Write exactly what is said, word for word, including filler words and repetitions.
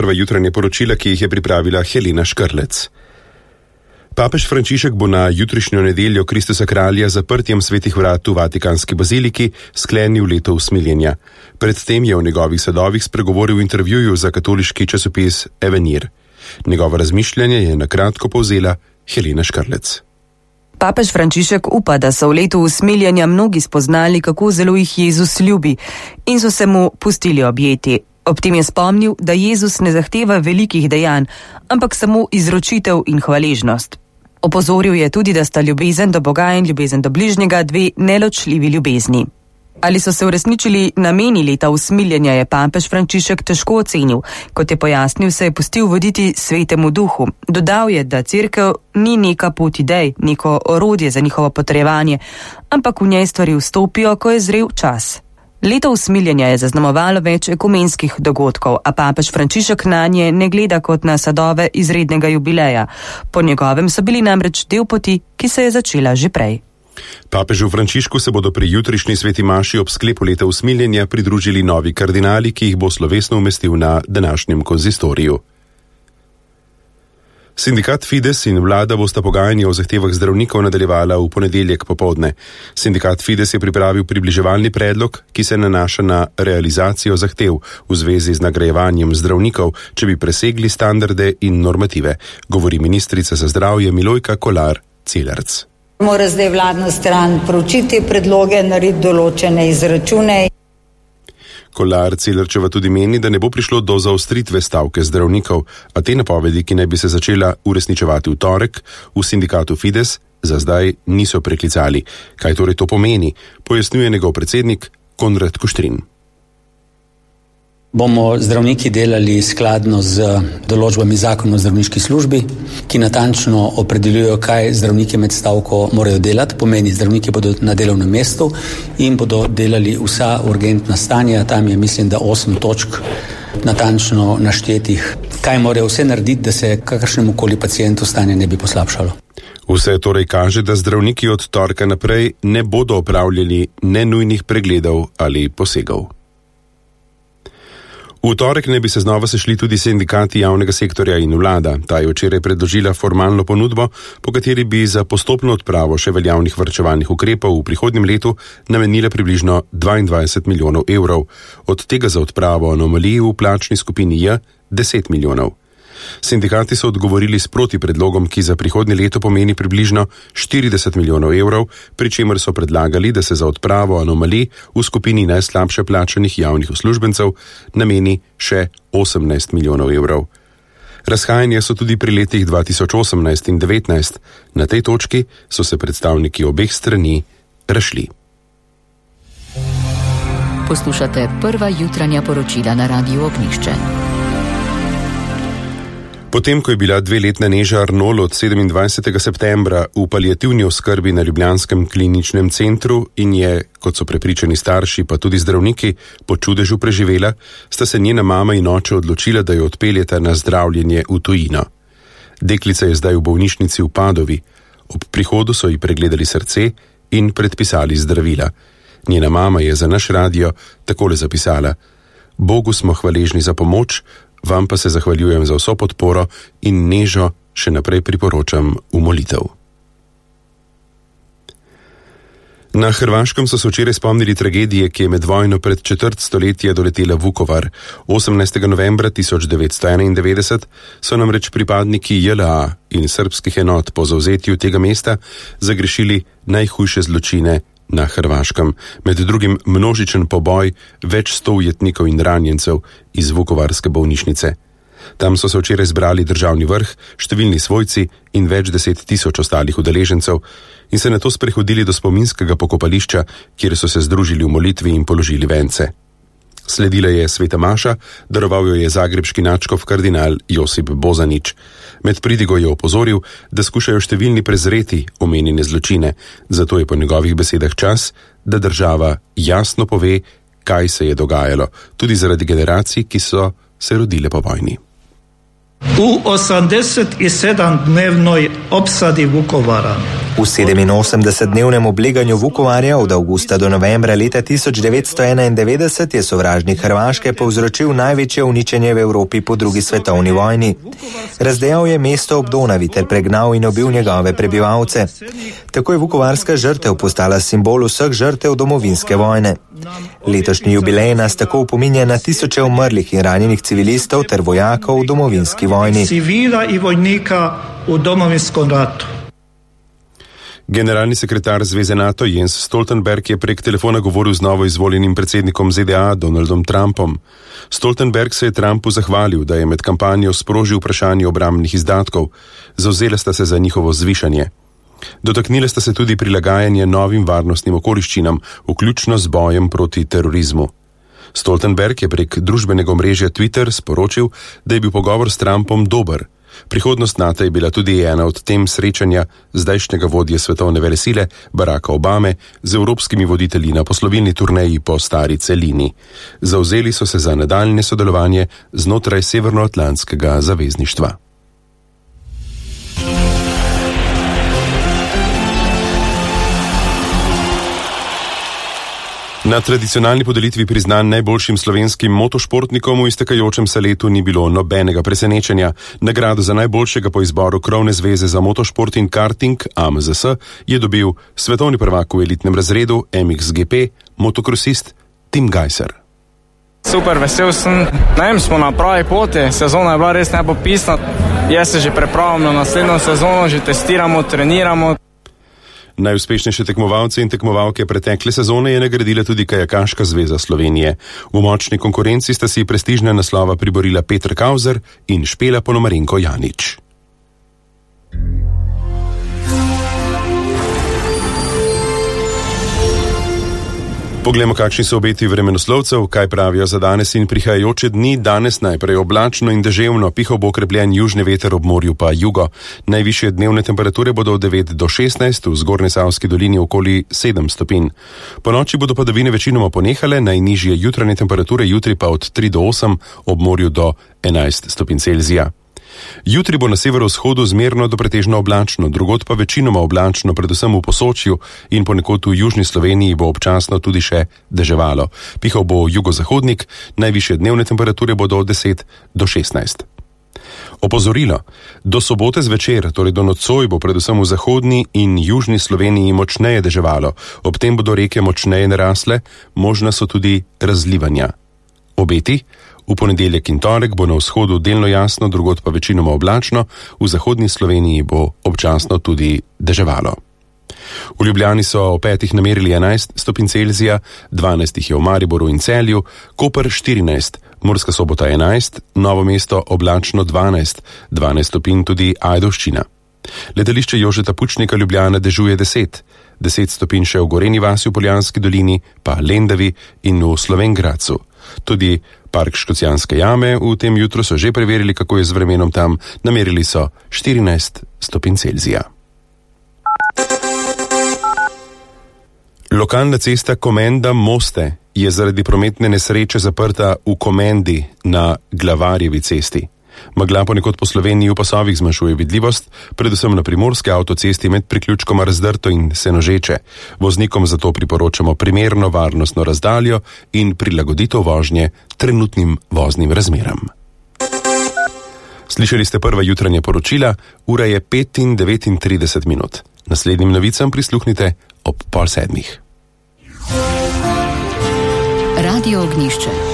Prva jutranje poročila, ki jih je pripravila Helena Škrlec. Papež Frančišek bo na jutrišnjo nedeljo Kristusa kralja zaprtjem svetih vrat v Vatikanski baziliki sklenil leto usmiljenja. Predtem je v njegovih sadovih spregovoril v intervjuju za katoliški časopis Avenir. Njegovo razmišljanje je na kratko povzela Helena Škrlec. Papež Frančišek upa, da so v letu usmiljenja mnogi spoznali, kako zelo jih Jezus ljubi in so se mu pustili objeti. Ob tem je spomnil, da Jezus ne zahteva velikih dejanj, ampak samo izročitev in hvaležnost. Opozoril je tudi, da sta ljubezen do Boga in ljubezen do bližnjega dve neločljivi ljubezni. Ali so se uresničili nameni leta usmiljenja, je papež Frančišek težko ocenil. Kot je pojasnil, se je pustil voditi svetemu duhu. Dodal je, da cerkev ni neka pot idej, neko orodje za njihovo potrjevanje, ampak v njej stvari vstopijo, ko je zrel čas. Leto usmiljenja je zaznamovalo več ekumenskih dogodkov, a papež Frančišek nanje ne gleda kot na sadove izrednega jubileja. Po njegovem so bili namreč del poti, ki se je začela že prej. Papežu Frančišku se bodo pri jutrišnji sveti maši ob sklepu leta usmiljenja pridružili novi kardinali, ki jih bo slovesno umestil na današnjem konzistoriju. Sindikat Fides in vlada bosta pogajanje o zahtevah zdravnikov nadaljevala v ponedeljek popoldne. Sindikat Fides je pripravil približevalni predlog, ki se nanaša na realizacijo zahtev v zvezi z nagrajevanjem zdravnikov, če bi presegli standarde in normative, govori ministrica za zdravje Milojka Kolar Celarc. Mora zdaj vladna stran proučiti predloge, narediti določene izračune. Kolar Celarčeva tudi meni, da ne bo prišlo do zaostritve stavke zdravnikov, a te napovedi, ki naj bi se začela uresničevati v torek, v sindikatu Fides za zdaj niso preklicali. Kaj torej to pomeni, pojasnjuje njegov predsednik Konrad Kuštrin. Bomo zdravniki delali skladno z določbami zakona o zdravniški službi, ki natančno opredeljujejo, kaj zdravniki med stavko morajo delati. Pomeni, zdravniki bodo na delovnem mestu in bodo delali vsa urgentna stanja. Tam je, mislim, da osem točk natančno naštetih, kaj morajo vse narediti, da se kakršnemu koli pacientu stanje ne bi poslabšalo. Vse torej kaže, da zdravniki od torka naprej ne bodo opravljali nenujnih pregledov ali posegov. V torek ne bi se znova sešli tudi sindikati javnega sektorja in vlada. Ta je včeraj predložila formalno ponudbo, po kateri bi za postopno odpravo še veljavnih varčevalnih ukrepov v prihodnjem letu namenila približno dvaindvajset milijonov evrov, od tega za odpravo anomalij v plačni skupini J deset milijonov. Sindikati so odgovorili s proti predlogom, ki za prihodnje leto pomeni približno štirideset milijonov evrov, pri čemer so predlagali, da se za odpravo anomalij v skupini najslabše plačanih javnih uslužbencev nameni še osemnajst milijonov evrov. Razhajanja so tudi pri letih dva tisoč osemnajst in devetnajst. Na tej točki so se predstavniki obeh strani razšli. Poslušate prva jutranja poročila na Radiu Ognjišče. Potem, ko je bila dveletna Neža Arnol od sedemindvajsetega septembra v paliativni oskrbi na ljubljanskem kliničnem centru in je, kot so prepričani starši, pa tudi zdravniki, po čudežu preživela, sta se njena mama in oče odločila, da jo odpeljeta na zdravljenje v tujino. Deklica je zdaj v bolnišnici v Padovi. Ob prihodu so ji pregledali srce in predpisali zdravila. Njena mama je za naš radio takole zapisala: Bogu smo hvaležni za pomoč, vam pa se zahvaljujem za vso podporo in Nežo še naprej priporočam v molitev. Na Hrvaškem so se včeraj spomnili tragedije, ki je med vojno pred četrt stoletja doletela Vukovar. osemnajstega novembra tisoč devetsto enaindevetdeset so namreč pripadniki J L A in srbskih enot po zavzetju tega mesta zagrešili najhujše zločine na Hrvaškem, med drugim množičen poboj več sto ujetnikov in ranjencev iz vukovarske bolnišnice. Tam so se včeraj zbrali državni vrh, številni svojci in več deset tisoč ostalih udeležencev in se nato sprehodili do spominskega pokopališča, kjer so se združili v molitvi in položili vence. Sledila je sveta maša, daroval jo je zagrebški nadškof kardinal Josip Bozanić. Med pridigo je opozoril, da skušajo številni prezreti omenjene zločine, zato je po njegovih besedah čas, da država jasno pove, kaj se je dogajalo, tudi zaradi generacij, ki so se rodile po vojni. U osemdesetsedemdnevnoj opsadi Vukovara V sedeminosemdesetdnevnem obleganju Vukovarja od avgusta do novembra leta tisoč devetsto enaindevetdeset je sovražnik Hrvaške povzročil največje uničenje v Evropi po drugi svetovni vojni. Razdejal je mesto ob Donavi ter pregnal in ubil njegove prebivalce. Tako je vukovarska žrtev postala simbol vseh žrtev domovinske vojne. Letošnji jubilej nas tako upominja na tisoče umrlih in ranjenih civilistov ter vojakov v domovinski vojni. Civila in vojnika v domovinskem ratu. Generalni sekretar Zveze NATO Jens Stoltenberg je prek telefona govoril z novo izvoljenim predsednikom Z D A Donaldom Trumpom. Stoltenberg se je Trumpu zahvalil, da je med kampanjo sprožil vprašanje obrambnih izdatkov, zavzela sta se za njihovo zvišanje. Dotaknile sta se tudi prilagajanje novim varnostnim okoliščinam, vključno z bojem proti terorizmu. Stoltenberg je prek družbenega omrežja Twitter sporočil, da je bil pogovor s Trumpom dober. Prihodnost NATO je bila tudi ena od tem srečanja zdajšnjega vodje svetovne velesile Baracka Obame z evropskimi voditelji na poslovilni turneji po stari celini. Zavzeli so se za nadaljnje sodelovanje znotraj Severnoatlantskega zavezništva. Na tradicionalni podelitvi priznanj najboljšim slovenskim motošportnikom v iztekajočem se letu ni bilo nobenega presenečenja. Nagrado za najboljšega po izboru Krovne zveze za motošport in karting A M Z S je dobil svetovni prvak v elitnem razredu M X G P, motokrosist Tim Gajser. Super, vesel sem. Najem smo na pravi poti, sezona je bila res nepopisna. Jaz se že pripravljam na naslednjo sezono, že testiramo, treniramo. Najuspešnejše tekmovalce in tekmovalke pretekle sezone je nagradila tudi Kajakaška zveza Slovenije. V močni konkurenci sta si prestižne naslova priborila Petr Kauzer in Špela Ponomarenko Janič. Poglejmo, kakšni so obeti vremenoslovcev, kaj pravijo za danes in prihajajoče dni. Danes najprej oblačno in deževno, pihal bo okrepljen južni veter, ob morju pa jugo. Najvišje dnevne temperature bodo od devet do šestnajst, v Zgornjesavski dolini okoli sedem stopinj. Po noči bodo padavine večinoma ponehale, najnižje jutranje temperature jutri pa od tri do osem, ob morju do enajst stopinj Celzija. Jutri bo na severovzhodu zmerno do pretežno oblačno, drugod pa večinoma oblačno, predvsem v Posočju in ponekod v južni Sloveniji bo občasno tudi še deževalo. Pihal bo jugozahodnik, najvišje dnevne temperature bodo od deset do šestnajst. Opozorilo. Do sobote zvečer, torej do nocoj, bo predvsem v zahodni in južni Sloveniji močneje deževalo. Ob tem bodo reke močneje narasle, možna so tudi razlivanja. Obeti. V ponedeljek in torek bo na vzhodu delno jasno, drugod pa večinoma oblačno, v zahodni Sloveniji bo občasno tudi deževalo. V Ljubljani so o petih namerili enajst stopinj Celzija, dvanajst jih je v Mariboru in Celju, Koper štirinajst, Murska Sobota enajst, Novo mesto oblačno dvanajst, dvanajst stopinj tudi Ajdovščina. Letališče Jožeta Pučnika Ljubljana dežuje deset, deset stopinj še v Gorenji vasi v Poljanski dolini, pa Lendavi in v Slovenj Gradcu. Tudi Park Škocjanske jame v tem jutru so že preverili, kako je z vremenom tam, namerili so štirinajst stopinj Celzija. Lokalna cesta Komenda-Moste je zaradi prometne nesreče zaprta v Komendi na Glavarjevi cesti. Megla ponekod po Sloveniji v pasovih zmanjšuje vidljivost, predvsem na primorske avtocesti med priključkoma Razdrto in Senožeče. Voznikom zato priporočamo primerno varnostno razdaljo in prilagoditev vožnje trenutnim voznim razmeram. Slišali ste prva jutranja poročila, ura je pet in devetintrideset minut. Naslednjim novicam prisluhnite ob pol sedmih. Radio Ognjišče.